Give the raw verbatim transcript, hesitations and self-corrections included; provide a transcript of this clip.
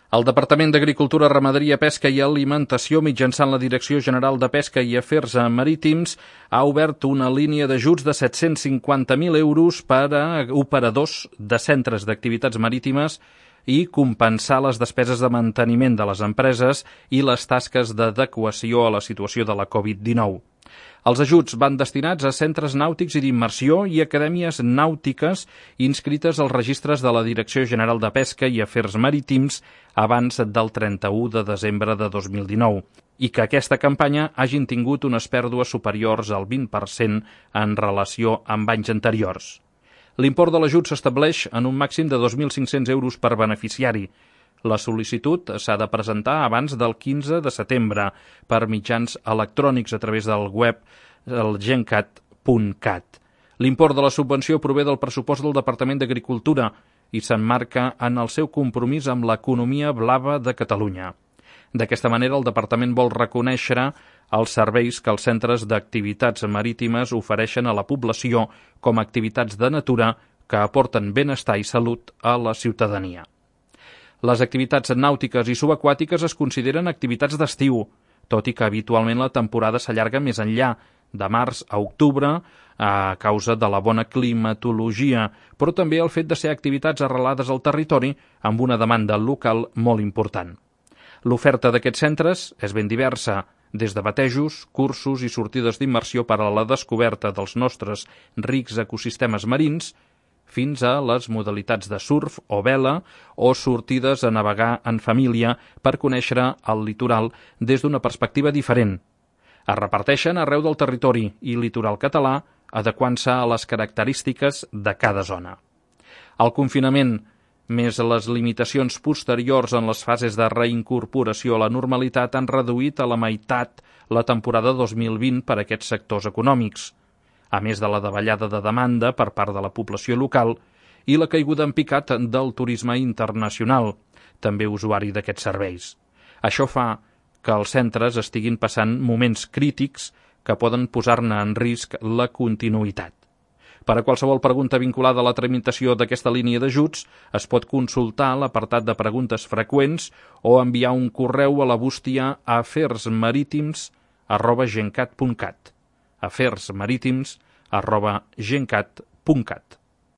El Departament d'Agricultura, Ramaderia, Pesca i Alimentació, mitjançant la Direcció General de Pesca i Afers Marítims, ha obert una línia d'ajuts de set-cents cinquanta mil euros per a operadors de centres d'activitats marítimes i compensar les despeses de manteniment de les empreses i les tasques d'adequació a la situació de la covid dinou. Els ajuts van destinats a centres nàutics i d'immersió i acadèmies nàutiques inscrites als registres de la Direcció General de Pesca i Afers Marítims abans del trenta-u de desembre de dos mil dinou i que aquesta campanya hagin tingut unes pèrdues superiors al vint per cent en relació amb anys anteriors. L'import de l'ajut s'estableix en un màxim de dos mil cinc-cents euros per beneficiari. La sol·licitud s'ha de presentar abans del quinze de setembre per mitjans electrònics a través del web el gencat punt cat. L'import de la subvenció prové del pressupost del Departament d'Agricultura i s'emmarca en el seu compromís amb l'economia blava de Catalunya. D'aquesta manera, el Departament vol reconèixer els serveis que els centres d'activitats marítimes ofereixen a la població com a activitats de natura que aporten benestar i salut a la ciutadania. Les activitats nàutiques i subaquàtiques es consideren activitats d'estiu, tot i que habitualment la temporada s'allarga més enllà, de març a octubre, a causa de la bona climatologia, però també el fet de ser activitats arrelades al territori amb una demanda local molt important. L'oferta d'aquests centres és ben diversa, des de batejos, cursos i sortides d'immersió per a la descoberta dels nostres rics ecosistemes marins, fins a les modalitats de surf o vela o sortides a navegar en família per conèixer el litoral des d'una perspectiva diferent. Es reparteixen arreu del territori i litoral català, adequant-se a les característiques de cada zona. El confinament, més les limitacions posteriors en les fases de reincorporació a la normalitat, han reduït a la meitat la temporada dos mil vint per a aquests sectors econòmics, a més de la davallada de demanda per part de la població local i la caiguda en picat del turisme internacional, també usuari d'aquests serveis. Això fa que els centres estiguin passant moments crítics que poden posar-ne en risc la continuïtat. Per a qualsevol pregunta vinculada a la tramitació d'aquesta línia d'ajuts, es pot consultar l'apartat de preguntes freqüents o enviar un correu a la bústia afersmarítims arroba gencat punt cat. afersmarítims arroba gencat punt cat.